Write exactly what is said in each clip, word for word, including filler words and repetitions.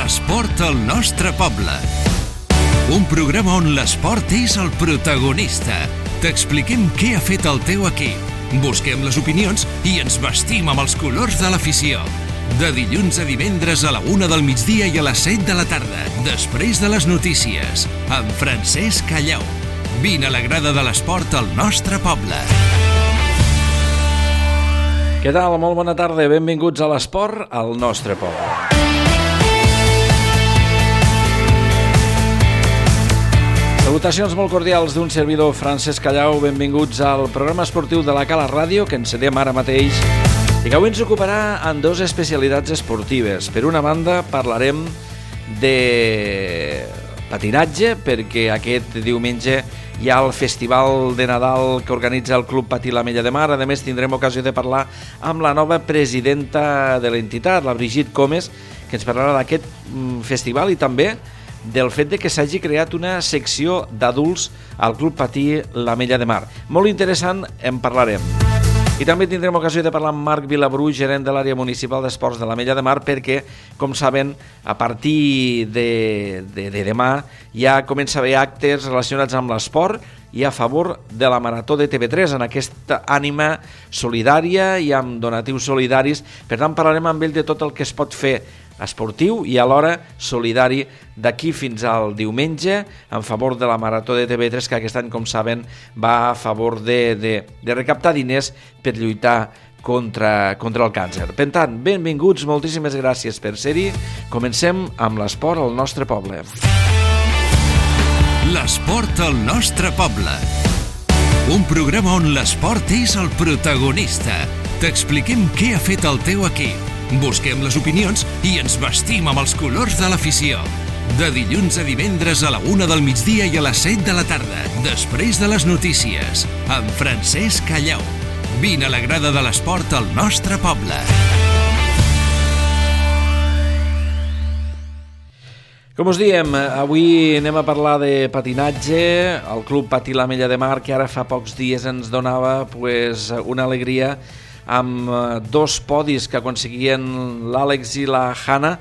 L'esport al nostre poble. Un programa on l'esport és el protagonista. T'expliquem què ha fet el teu equip. Busquem les opinions i ens vestim amb els colors de l'afició. De dilluns a divendres a la una del migdia i a les set de la tarda, després de les notícies, amb Francesc Callau. Vine a la grada de l'esport al nostre poble. Què tal? Molt bona tarda. Benvinguts a l'esport al nostre poble. Salutacions molt cordials d'un servidor, Francesc Callau. Benvinguts al programa esportiu de la Cala Ràdio, que encedem ara mateix i que avui ens ocuparà en dues especialitats esportives. Per una banda, parlarem de patinatge, perquè aquest diumenge hi ha el Festival de Nadal que organitza el Club Patí l'Ametlla de Mar. A més, tindrem ocasió de parlar amb la nova presidenta de l'entitat, la Brigitte Comes, que ens parlarà d'aquest festival i també del fet de que s'hagi creat una secció d'adults al Club Patí l'Ametlla de Mar. Molt interessant, en parlarem. I també tindrem ocasió de parlar amb Marc Vilabru, gerent de l'àrea municipal d'esports de l'Ametlla de Mar, perquè, com saben, a partir de, de, de demà ja comença a haver actes relacionats amb l'esport i a favor de la Marató de T V tres, en aquesta ànima solidària i amb donatius solidaris. Per tant, parlarem amb ell de tot el que es pot fer esportiu i alhora solidari d'aquí fins al diumenge en favor de la Marató de T V tres, que aquest any, com saben, va a favor de, de, de recaptar diners per lluitar contra, contra el càncer. Per tant, benvinguts, moltíssimes gràcies per ser-hi. Comencem amb l'esport al nostre poble. L'esport al nostre poble. Un programa on l'esport és el protagonista. T'expliquem què ha fet el teu equip. Busquem les opinions i ens vestim amb els colors de l'afició. De dilluns a divendres a la una del migdia i a les set de la tarda, després de les notícies, amb Francesc Callau. Vine a la grada de l'esport al nostre poble. Com us diem, avui anem a parlar de patinatge. El Club Patí l'Ametlla de Mar, que ara fa pocs dies ens donava pues, una alegria amb dos podis que aconseguien l'Àlex i la Hanna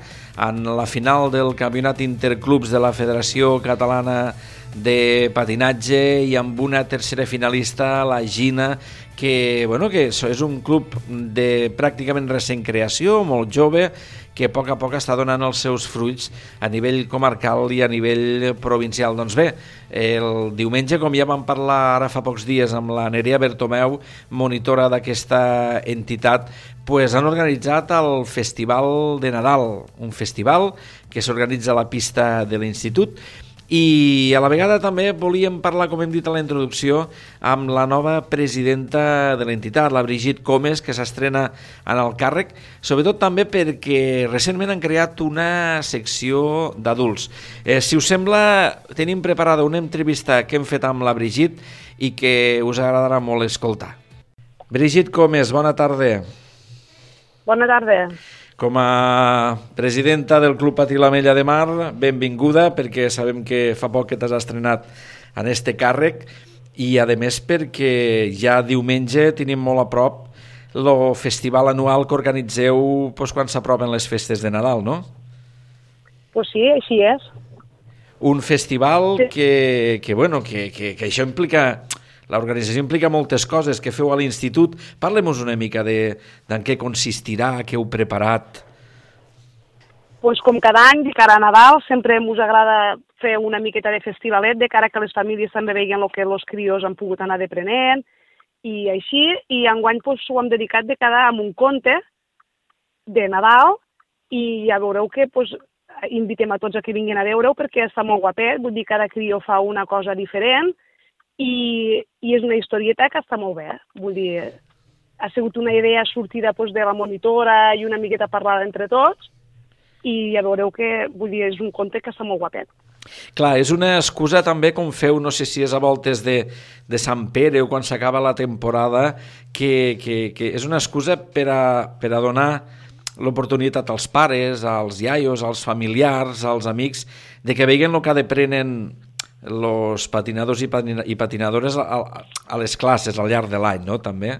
en la final del campionat interclubs de la Federació Catalana de Patinatge, i amb una tercera finalista, la Gina, que, bueno, que és un club de pràcticament recent creació, molt jove, que a poc a poc està donant els seus fruits a nivell comarcal i a nivell provincial. Doncs bé, el diumenge, com ja vam parlar ara fa pocs dies amb la Nerea Bertomeu, monitora d'aquesta entitat, pues han organitzat el Festival de Nadal, un festival que s'organitza a la pista de l'Institut. I a la vegada també volíem parlar, com hem dit a la introducció, amb la nova presidenta de l'entitat, la Brigitte Comes, que s'estrena en el càrrec, sobretot també perquè recentment han creat una secció d'adults. Eh, si us sembla, tenim preparada una entrevista que hem fet amb la Brigitte i que us agradarà molt escoltar. Brigitte Comes, bona tarda. Bona tarda. Com a presidenta del Club Patí l'Ametlla de Mar, benvinguda, perquè sabem que fa poc que t'has estrenat en este càrrec i, a més, perquè ja diumenge tenim molt a prop el festival anual que organitzeu pues, quan s'apropen les festes de Nadal, no? Pues sí, així és. Un festival sí. que, que, bueno, que, que, que això implica... L'organització implica moltes coses que feu a l'institut. Parlem-nos una mica de, de en què consistirà, què heu preparat. Pues com cada any, de cara a Nadal, sempre ens agrada fer una miqueta de festivalet, de cara que les famílies també veien el que els crios han pogut anar deprenent, i així, i enguany pues, ho hem dedicat de cada amb un conte de Nadal, i ja veureu que pues, invitem a tots a que vinguin a veure-ho, perquè està molt guapet, vull dir, cada crio fa una cosa diferent, I, i és una historieta que està molt bé. Vull dir, ha sigut una idea sortida doncs, de la monitora i una miqueta parlada entre tots, i ja veureu que vull dir, és un conte que està molt guapet. Clar, és una excusa també, com feu, no sé si és a voltes de, de Sant Pere o quan s'acaba la temporada, que, que, que és una excusa per a, per a donar l'oportunitat als pares, als iaios, als familiars, als amics, de que veuen el que aprenen els patinadors i patinadores a, a les classes al llarg de l'any, no?, també?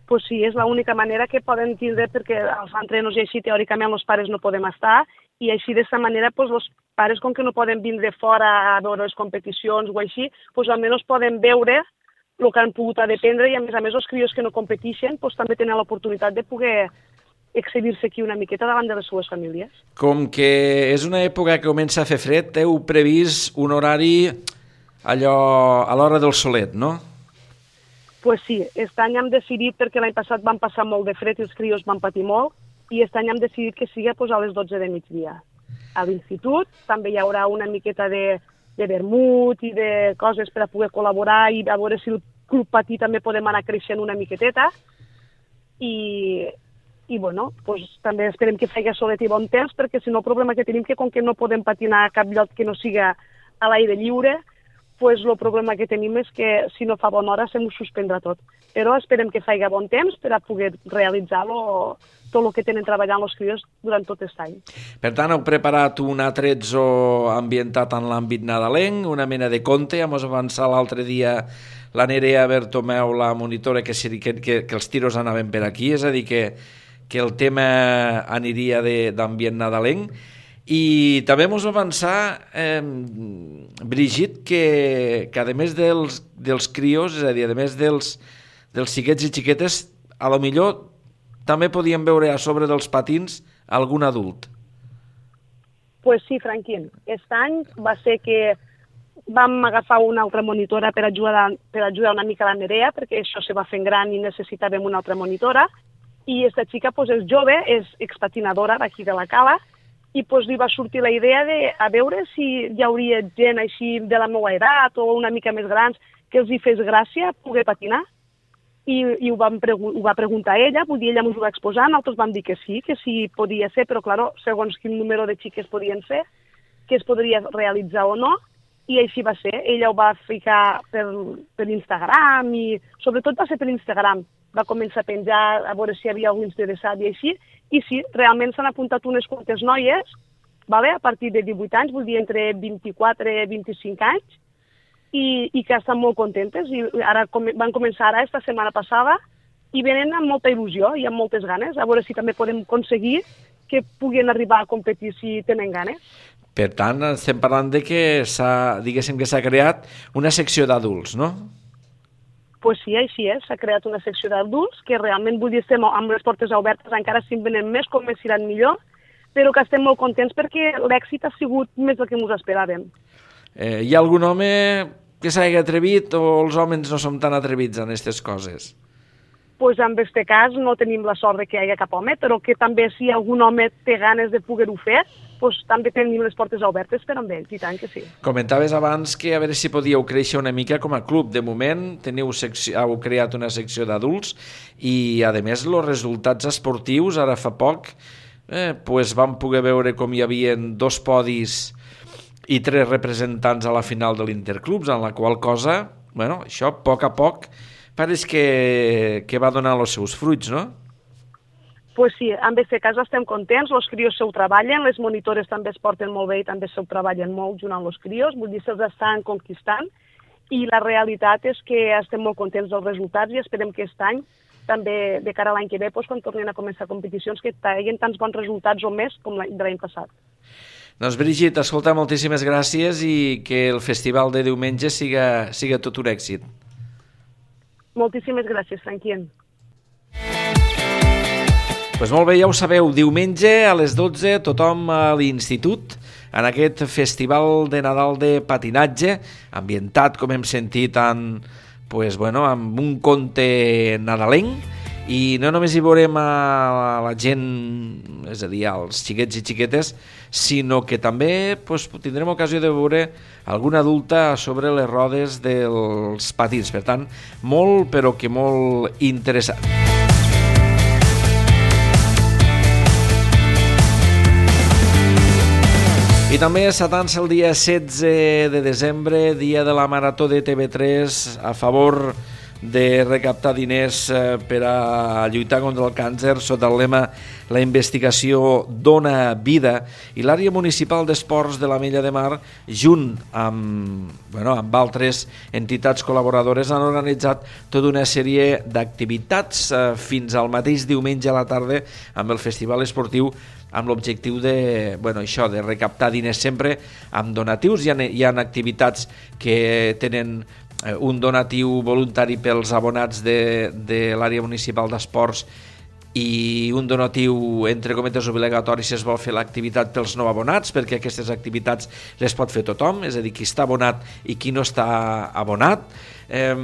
pues sí, és l'única manera que poden tindre, perquè els entrenos i així teòricament els pares no podem estar, i així d'aquesta manera pues, els pares, com que no poden vindre fora a veure les competicions o així, pues, almenys poden veure el que han pogut dependre i a més a més els crios que no competeixen pues, també tenen l'oportunitat de poder excedir-se aquí una miqueta davant de les seues famílies. Com que és una època que comença a fer fred, heu previst un horari allò a l'hora del solet, no? Pues sí, aquest any hem decidit, perquè l'any passat van passar molt de fred i els crios van patir molt, i aquest any hem decidit que sigui pues, a les dotze de migdia. A l'institut també hi haurà una miqueta de, de vermut i de coses per a poder col·laborar i a veure si el club patí també podem anar creixent una miqueteta. I, i bueno, pues, també esperem que faci solet i bon temps, perquè si no el problema que tenim que com que no podem patinar a cap lloc que no siga a l'aire lliure, pues el problema que tenim és que si no fa bona hora se m'ho suspendrà tot. Però esperem que faci bon temps per a poder realitzar lo, tot el que tenen treballant els crios durant tot aquest any. Per tant, heu preparat un attrezzo ambientat en l'àmbit nadalenc, una mena de conte, hem avançat l'altre dia la Nerea Bertomeu, la monitora, que, que, que, que els tiros anaven per aquí, és a dir, que, que el tema aniria d'ambient nadalenc. I també ens va avançar, eh, Brigitte, que, que a més dels, dels crios, és a dir, a més dels, dels xiquets i xiquetes, a lo millor també podíem veure a sobre dels patins algun adult. Pues sí, Franquín. Aquest any va ser que vam agafar una altra monitora per ajudar, per ajudar una mica la Nerea, perquè això se va fent gran i necessitàvem una altra monitora. I aquesta xica pues, és jove, és expatinadora d'aquí de la Cala, i pues, li va sortir la idea de a veure si hi hauria gent així de la meva edat o una mica més grans que els hi fes gràcia poder patinar. I, i ho, vam pregu ho va preguntar ella, vull dir, ella ens ho va exposar, nosaltres vam dir que sí, que sí podia ser, però clar, segons quin número de xiques podien ser, que es podria realitzar o no, i així va ser. Ella ho va ficar per, per Instagram i sobretot va ser per Instagram. Va començar a penjar a veure si hi havia algú interessat i així, i sí, realment s'han apuntat unes quantes noies, vale? A partir de divuit anys, vull dir entre vint-i-quatre i vint-i-cinc anys, i, i que estan molt contentes, i ara com, van començar ara, esta setmana passada, i venen amb molta il·lusió i amb moltes ganes, a veure si també podem aconseguir que puguin arribar a competir si tenen ganes. Per tant, estem parlant de que s'ha, diguéssim que s'ha creat una secció d'adults, no? Pues sí, així és, s'ha creat una secció d'adults que realment, vull dir, estem amb les portes obertes, encara si en venen més, com més iran millor, però que estem molt contents perquè l'èxit ha sigut més del que ens esperàvem. Eh, hi ha algun home que s'hagi atrevit o els homes no som tan atrevits en aquestes coses? Pues en aquest cas no tenim la sort de que hi hagi cap home, però que també si algun home té ganes de poder-ho fer, pues també tenim les portes obertes per amb ells, i tant que sí. Comentaves abans que a veure si podíeu créixer una mica com a club. De moment teniu secció, heu creat una secció d'adults i, a més, els resultats esportius, ara fa poc, eh, pues vam poder veure com hi havia dos podis i tres representants a la final de l'Interclubs, en la qual cosa, bueno, això, a poc a poc, pareix que, que va donar els seus fruits, no? Pues sí, en aquest cas estem contents, els crios s'ho treballen, les monitores també es porten molt bé i també s'ho treballen molt junt amb els crios, vull dir, se'ls estan conquistant, i la realitat és que estem molt contents dels resultats i esperem que aquest any, també de cara a l'any que ve, doncs, quan tornin a començar competicions, que tinguin tants bons resultats o més com de l'any passat. Doncs Brigitte, escolta, moltíssimes gràcies i que el festival de diumenge siga, siga tot un èxit. Moltíssimes gràcies, Franquien. Pues molt bé, ja ho sabeu, diumenge a les dotze tothom a l'institut en aquest festival de Nadal de patinatge, ambientat, com hem sentit, en, pues, bueno, amb un conte nadalenc, i no només hi veurem a la gent, és a dir, als xiquets i xiquetes, sinó que també pues, tindrem ocasió de veure alguna adulta sobre les rodes dels patins. Per tant, molt, però que molt interessant. I també s'atança el dia setze de desembre, dia de la Marató de T V tres, a favor de recaptar diners per a lluitar contra el càncer sota el lema La investigació dona vida, i l'àrea municipal d'esports de l'Ametlla de Mar, junt amb, bueno, amb altres entitats col·laboradores, han organitzat tota una sèrie d'activitats fins al mateix diumenge a la tarda amb el Festival Esportiu, amb l'objectiu de, bueno, això, de recaptar diners sempre amb donatius. Hi ha, hi ha activitats que tenen un donatiu voluntari pels abonats de, de l'àrea municipal d'esports i un donatiu, entre cometes, obligatori si es vol fer l'activitat pels no abonats, perquè aquestes activitats les pot fer tothom, és a dir, qui està abonat i qui no està abonat. Eh,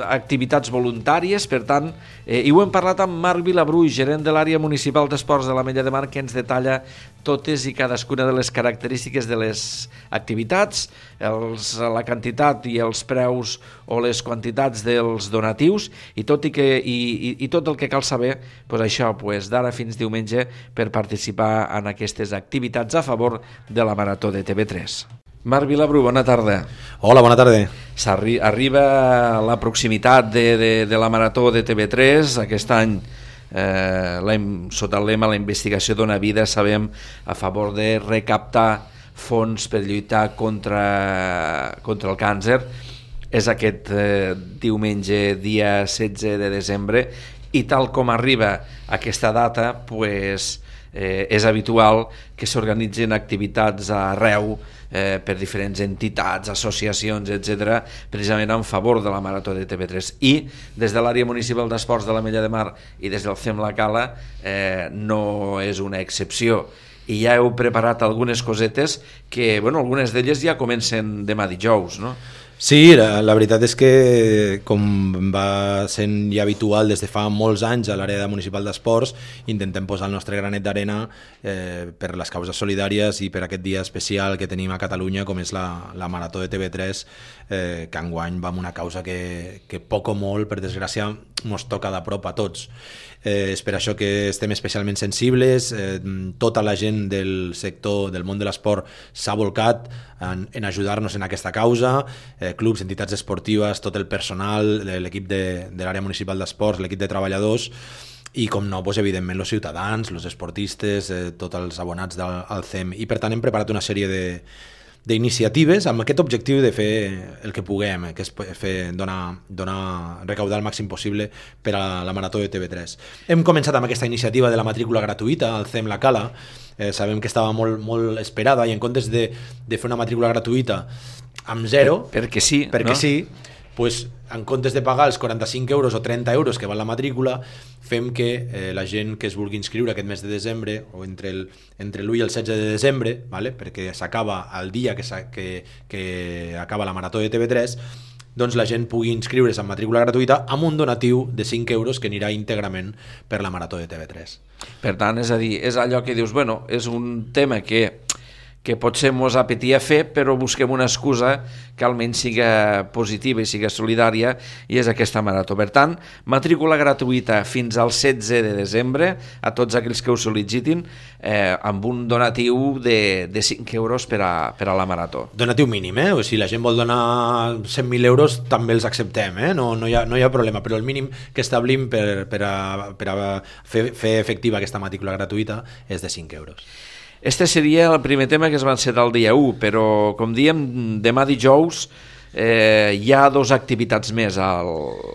activitats voluntàries, per tant, eh, i ho hem parlat amb Marc Vilabruix, gerent de l'àrea municipal d'esports de l'Ametlla de Mar, que ens detalla totes i cadascuna de les característiques de les activitats, els, la quantitat i els preus o les quantitats dels donatius, i tot, i que, i, i, i tot el que cal saber, pues això, pues, d'ara fins diumenge, per participar en aquestes activitats a favor de la Marató de T V tres. Marc Vilabru, bona tarda. Hola, bona tarda. S'arri arriba la proximitat de, de, de la Marató de T V tres. Aquest any, eh, la, sota el lema La investigació dona vida, sabem, a favor de recaptar fons per lluitar contra, contra el càncer. És aquest eh, diumenge, dia setze de desembre, i tal com arriba aquesta data, pues, eh, és habitual que s'organitzin activitats arreu eh, per diferents entitats, associacions, etcètera, precisament en favor de la Marató de T V tres. I des de l'àrea municipal d'esports de l'Ametlla de Mar i des del C E M La Cala eh, no és una excepció. I ja heu preparat algunes cosetes que, bueno, algunes d'elles ja comencen demà dijous, no? Sí, la, la veritat és que, com va sent ja habitual des de fa molts anys a l'àrea municipal d'esports, intentem posar el nostre granet d'arena eh, per les causes solidàries i per aquest dia especial que tenim a Catalunya, com és la, la Marató de T V tres, eh, que enguany va amb una causa que, que poc o molt, per desgràcia, ens toca de prop a tots. Eh, és per això que estem especialment sensibles, eh, tota la gent del sector del món de l'esport s'ha volcat en, en ajudar-nos en aquesta causa, eh, clubs, entitats esportives, tot el personal, l'equip de, de l'àrea municipal d'esports, l'equip de treballadors, i com no, doncs, evidentment els ciutadans, els esportistes, eh, tots els abonats del, al C E M, i per tant hem preparat una sèrie de d'iniciatives amb aquest objectiu de fer el que puguem, que és fer, donar, donar, recaudar el màxim possible per a la Marató de T V tres. Hem començat amb aquesta iniciativa de la matrícula gratuïta al C E M La Cala. Eh, sabem que estava molt, molt esperada, i en comptes de, de fer una matrícula gratuïta amb zero, per, perquè sí, perquè no? sí, pues, en comptes de pagar els quaranta-cinc euros o trenta euros que val la matrícula, fem que eh, la gent que es vulgui inscriure aquest mes de desembre, o entre el entre l'u i el setze de desembre, vale? Perquè s'acaba el dia que, que, que acaba la Marató de T V tres, doncs la gent pugui inscriure's en matrícula gratuïta amb un donatiu de cinc euros que anirà íntegrament per la Marató de T V tres. Per tant, és a dir, és allò que dius, bueno, és un tema que que potser mos apetia fer, però busquem una excusa que almenys siga positiva i siga solidària, i és aquesta marató. Per tant, matrícula gratuïta fins al setze de desembre a tots aquells que ho sol·licitin, eh, amb un donatiu de, de cinc euros per a, per a la marató. Donatiu mínim, eh? O si la gent vol donar cent mil euros també els acceptem, eh? No, no, hi ha, no hi ha problema, però el mínim que establim per, per, a, per a fer, fer efectiva aquesta matrícula gratuïta és de cinc euros. Este seria el primer tema que es va encetar el dia u, però, com dèiem, demà dijous eh, hi ha dues activitats més al,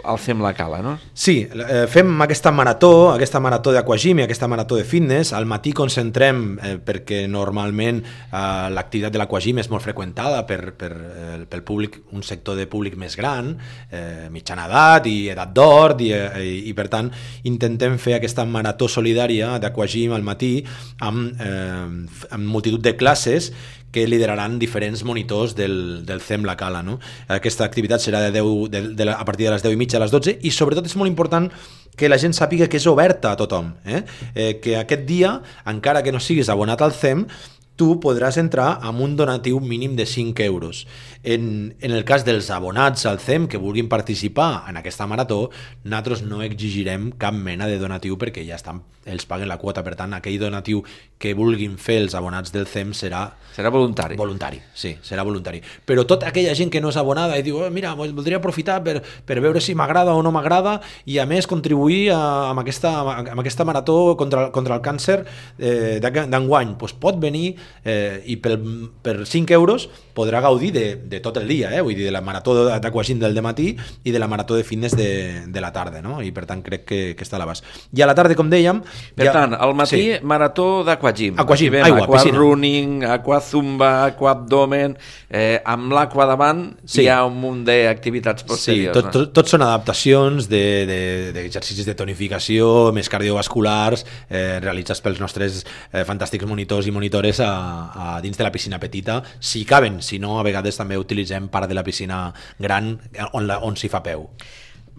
al C E M La Cala, no? Sí, eh, fem aquesta marató, aquesta marató d'aquagym i aquesta marató de fitness. Al matí concentrem, eh, perquè normalment eh, l'activitat de l'aquagym és molt freqüentada per, per, eh, pel públic, un sector de públic més gran, eh, mitjana edat i edat d'or, i, i, i per tant intentem fer aquesta marató solidària d'aquagym al matí amb, eh, amb multitud de classes que lideraran diferents monitors del, del C E M La Cala, no? Aquesta activitat serà de deu, de, de, a partir de les deu i mitja a les dotze, i sobretot és molt important que la gent sàpiga que és oberta a tothom, eh? Eh, que aquest dia, encara que no siguis abonat al C E M, tu podràs entrar amb un donatiu mínim de cinc euros. En, en el cas dels abonats al C E M que vulguin participar en aquesta marató, nosaltres no exigirem cap mena de donatiu perquè ja estan, ells paguen la quota, per tant, aquell donatiu que vulguin fer els abonats del C E M serà... Serà voluntari. Voluntari, sí, serà voluntari. Però tota aquella gent que no és abonada i diu, oh, mira, voldria aprofitar per, per veure si m'agrada o no m'agrada i a més contribuir a, amb, aquesta, amb aquesta marató contra, contra el càncer eh, d'enguany, doncs pot venir eh, i per, per cinc euros podrà gaudir de, de tot el dia, eh? Vull dir, de la marató d'aquagym del dematí i de la marató de fitness de, de la tarda, no? I per tant crec que, que està a l'abast. I a la tarda, com dèiem... Per ja... tant, al matí, sí. marató d'aquagym. Aquagym, aigua, aqua piscina. Running, aqua zumba, aqua abdomen... Eh, amb l'aqua davant sí. hi ha un munt d'activitats posteriors. Sí, tot, tot, tot són adaptacions d'exercicis de, de, de tonificació, més cardiovasculars, eh, realitzats pels nostres eh, fantàstics monitors i monitores a, a dins de la piscina petita, si caben. Si no, a vegades també utilitzem part de la piscina gran on, la, on s'hi fa peu.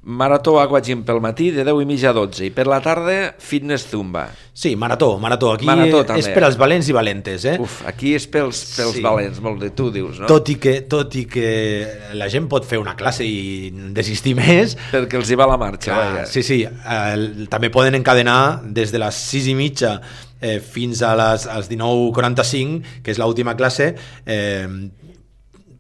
Marató aquagym pel matí de deu i mitja a dotze i per la tarda fitness zumba. Sí, marató, marató. Aquí marató, és per als valents i valentes. Eh? Uf, aquí és pels, pels sí. valents, molt de tu dius, no? Tot i, que, tot i que la gent pot fer una classe i desistir més... Perquè els hi va la marxa. Clar, sí, sí. Eh, també poden encadenar des de les sis i mitja eh, fins a les, als dinou quaranta-cinc, que és l'última classe, eh,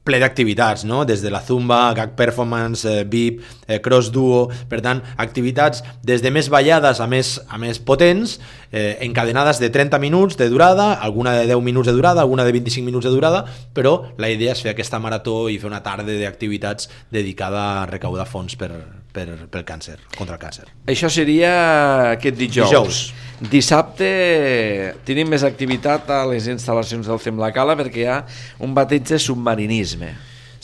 ple d'activitats, no? Des de la zumba, gag performance, eh, V I P, eh, cross duo, per tant, activitats des de més ballades a més, a més potents, eh, encadenades de trenta minuts de durada, alguna de deu minuts de durada, alguna de vint-i-cinc minuts de durada, però la idea és fer aquesta marató i fer una tarda d'activitats dedicada a recaudar fons per, per, pel càncer, contra el càncer. Això seria aquest dijous. dijous. Dissabte tenim més activitat a les instal·lacions del C E M La Cala perquè hi ha un bateig de submarinisme.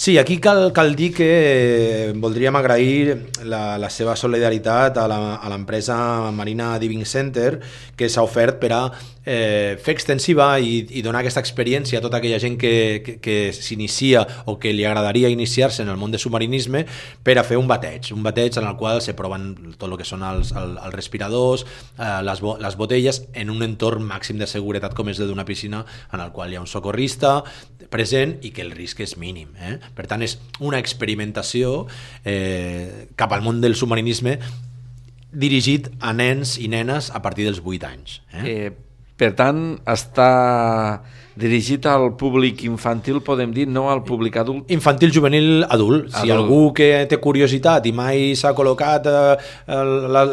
Sí, aquí cal, cal dir que voldríem agrair la, la seva solidaritat a l'empresa Marina Diving Center, que s'ha ofert per a eh, fer extensiva i, i donar aquesta experiència a tota aquella gent que, que, que s'inicia o que li agradaria iniciar-se en el món de submarinisme per a fer un bateig, un bateig en el qual se proven tot el que són els, els, els respiradors, eh, les, bo, les botelles, en un entorn màxim de seguretat com és el d'una piscina, en el qual hi ha un socorrista present i que el risc és mínim. Eh? Per tant, és una experimentació eh, cap al món del submarinisme dirigit a nens i nenes a partir dels vuit anys. Eh? Eh, per tant, està dirigit al públic infantil, podem dir, no al públic adult? Infantil, juvenil, adult. Si adult. Algú que té curiositat i mai s'ha col·locat eh,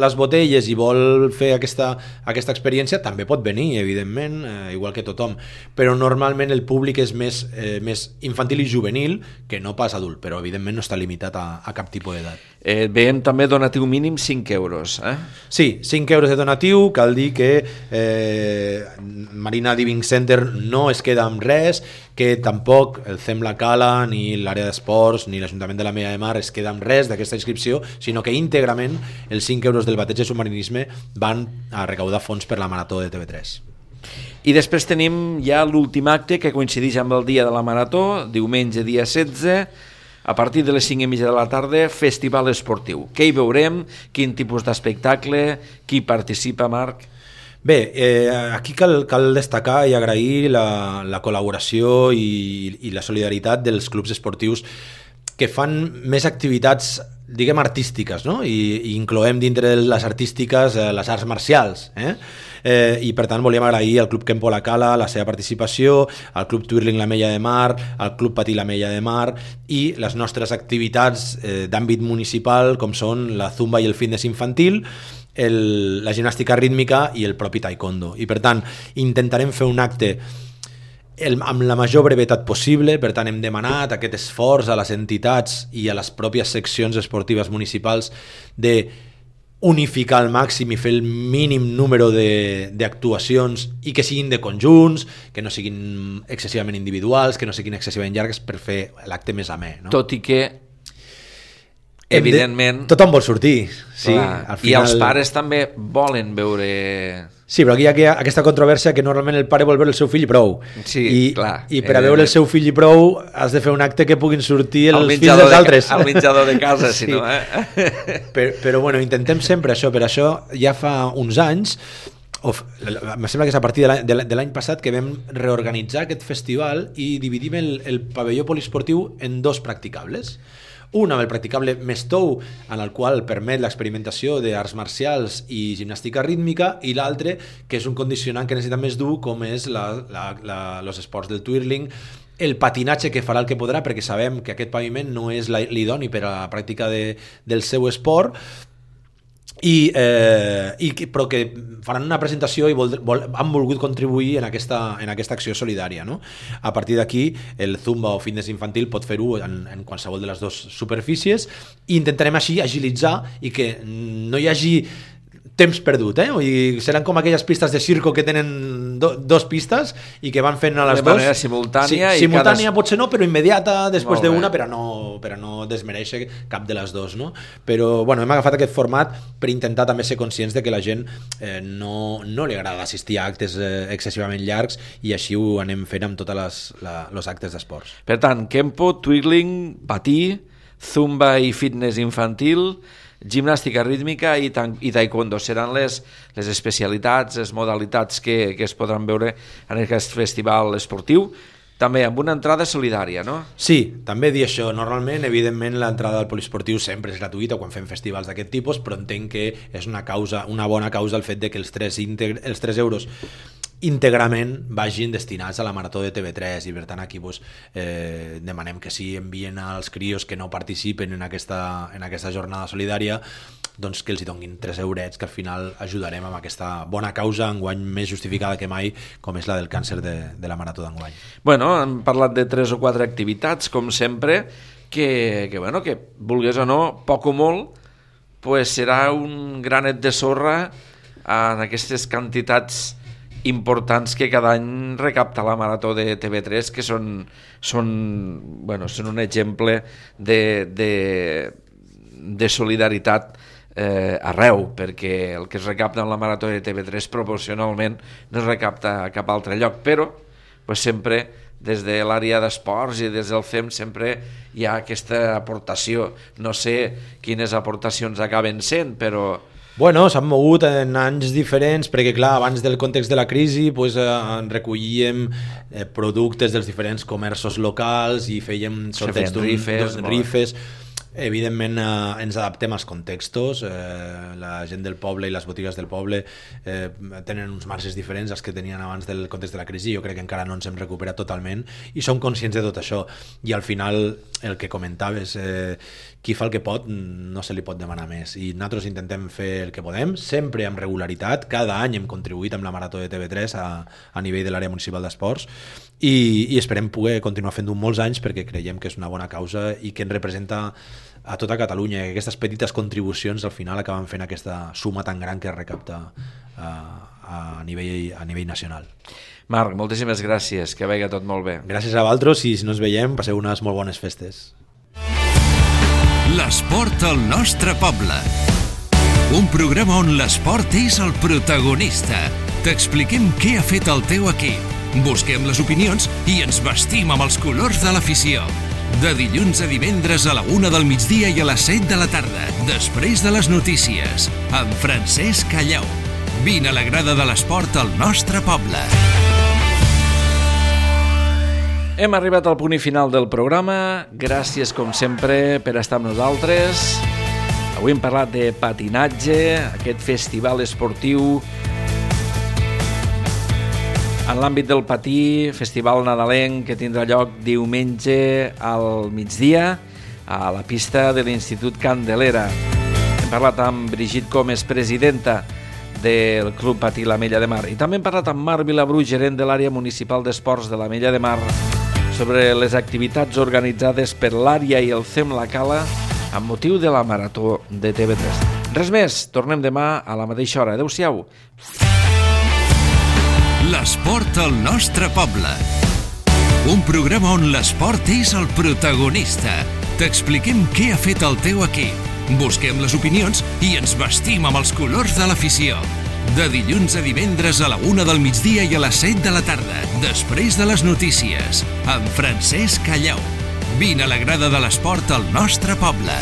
les botelles i vol fer aquesta, aquesta experiència, també pot venir, evidentment, eh, igual que tothom. Però normalment el públic és més, eh, més infantil i juvenil que no pas adult, però evidentment no està limitat a, a cap tipus d'edat. Eh, veiem també donatiu mínim cinc euros. Eh? Sí, cinc euros de donatiu. Cal dir que eh, Marina Diving Center no es queda amb res, que tampoc el C E M La Cala, ni l'àrea d'esports, ni l'Ajuntament de la Mella de Mar es queda amb res d'aquesta inscripció, sinó que íntegrament els cinc euros del bateig de submarinisme van a recaudar fons per la marató de T V tres. I després tenim ja l'últim acte que coincideix amb el dia de la marató, diumenge dia setze, a partir de les cinc i mitja de la tarda, festival esportiu. Què hi veurem? Quin tipus d'espectacle? Qui participa, Marc? Bé, eh, aquí cal, cal destacar i agrair la, la col·laboració i, i la solidaritat dels clubs esportius que fan més activitats, diguem, artístiques, no? I, i incloem dintre de les artístiques eh, les arts marcials, eh? Eh, i per tant volíem agrair al Club Kempo La Cala la seva participació, al Club Twirling La Mella de Mar, al Club Patí La Mella de Mar i les nostres activitats eh, d'àmbit municipal com són la zumba i el fitness infantil, el, la gimnàstica rítmica i el propi taekwondo. I per tant intentarem fer un acte el, amb la major brevetat possible, per tant hem demanat aquest esforç a les entitats i a les pròpies seccions esportives municipals de unificar al màxim i fer el mínim número d'actuacions i que siguin de conjunts, que no siguin excessivament individuals, que no siguin excessivament llargues per fer l'acte més amè. No? Tot i que evidentment... De... Tothom vol sortir. Sí, al final... I els pares també volen veure... Sí, però aquí hi ha aquesta controvèrsia que normalment el pare vol veure el seu fill i prou. Sí, I, clar. I per a veure el seu fill i prou has de fer un acte que puguin sortir els fills dels de, altres. Al menjador de casa, sí. Si no, eh? Però, però bueno, intentem sempre això. Per això ja fa uns anys Of, em sembla que és a partir de l'any passat que vam reorganitzar aquest festival i dividim el, el pavelló poliesportiu en dos practicables. Un amb el practicable més tou, en el qual permet l'experimentació d'arts marcials i gimnàstica rítmica, i l'altre, que és un condicionant que necessita més dur, com és la, la, la, els esports del twirling, el patinatge, que farà el que podrà, perquè sabem que aquest paviment no és l'idoni per a la pràctica de, del seu esport, I, eh, i, però que faran una presentació i vol, vol, han volgut contribuir en aquesta, en aquesta acció solidària, no? A partir d'aquí el Zumba o fitness infantil pot fer-ho en, en qualsevol de les dues superfícies i intentarem així agilitzar i que no hi hagi temps perdut, eh? I seran com aquelles pistes de circo que tenen do, dos pistes i que van fent a les de dos. manera simultània. Sí, i simultània cada... potser no, però immediata després Molt bé. d'una, però no, però no desmereixer cap de les dues, no? Però, bueno, hem agafat aquest format per intentar també ser conscients de que la gent eh, no, no li agrada assistir a actes eh, excessivament llargs i així ho anem fent amb tots els actes d'esports. Per tant, Kempo, twirling, patí, Zumba i fitness infantil, gimnàstica rítmica i, ta i taekwondo seran les, les especialitats, les modalitats que, que es podran veure en aquest festival esportiu, també amb una entrada solidària, no? Sí, també dir això. Normalment, evidentment, l'entrada al poliesportiu sempre és gratuïta quan fem festivals d'aquest tipus, però entenc que és una causa, una bona causa el fet de que els tres, els tres euros íntegrament vagin destinats a la Marató de T V tres i per tant aquí pues, eh, demanem que sí envien als crios que no participen en aquesta, en aquesta jornada solidària doncs que els hi donguin tres eurets que al final ajudarem amb aquesta bona causa enguany més justificada que mai com és la del càncer de, de la Marató d'enguany. Bueno, hem parlat de tres o quatre activitats com sempre que, que, bueno, que vulgués o no, poc o molt pues serà un granet de sorra en aquestes quantitats importants que cada any recapta la Marató de T V tres, que són, són, bueno, són un exemple de, de, de solidaritat eh, arreu, perquè el que es recapta en la Marató de T V tres proporcionalment no es recapta a cap altre lloc, però pues, sempre des de l'àrea d'esports i des del C E M sempre hi ha aquesta aportació. No sé quines aportacions acaben sent, però Bueno, s'han mogut en anys diferents perquè, clar, abans del context de la crisi pues, eh, recollíem eh, productes dels diferents comerços locals i fèiem sorteig d'un rifes, rifes. Evidentment eh, ens adaptem als contextos, eh, la gent del poble i les botigues del poble eh, tenen uns marges diferents als que tenien abans del context de la crisi. Jo crec que encara no ens hem recuperat totalment i som conscients de tot això i al final el que comentaves, eh, qui fa el que pot no se li pot demanar més i nosaltres intentem fer el que podem, sempre amb regularitat. Cada any hem contribuït amb la Marató de T V tres a, a nivell de l'àrea municipal d'esports i, i esperem poder continuar fent-ho molts anys perquè creiem que és una bona causa i que ens representa a tota Catalunya, que aquestes petites contribucions al final acaben fent aquesta suma tan gran que es recapta a, a, nivell, a nivell nacional. Marc, moltíssimes gràcies, que vagi tot molt bé. Gràcies a vosaltres i si no ens veiem, passeu unes molt bones festes. L'esport al nostre poble. Un programa on l'esport és el protagonista. T'expliquem què ha fet el teu equip. Busquem les opinions i ens vestim amb els colors de l'afició. De dilluns a divendres a la una del migdia i a les set de la tarda, després de les notícies, amb Francesc Callau. Vine a la grada de l'esport al nostre poble. Hem arribat al punt i final del programa. Gràcies, com sempre, per estar amb nosaltres. Avui hem parlat de patinatge, aquest festival esportiu en l'àmbit del patí, festival nadalenc que tindrà lloc diumenge al migdia a la pista de l'Institut Candelera. Hem parlat amb Brigitte Comes, presidenta del Club Patí l'Ametlla de Mar, i també hem parlat amb Marc Vilabru, gerent de l'àrea municipal d'esports de l'Ametlla de Mar, sobre les activitats organitzades per l'àrea i el C E M La Cala amb motiu de la Marató de T V tres. Res més, tornem demà a la mateixa hora. Adéu-siau. L'esport al nostre poble. Un programa on l'esport és el protagonista. T'expliquem què ha fet el teu equip. Busquem les opinions i ens vestim amb els colors de l'afició. De dilluns a divendres a la una del migdia i a les set de la tarda, després de les notícies, amb Francesc Callau. Vine a la grada de l'esport al nostre poble.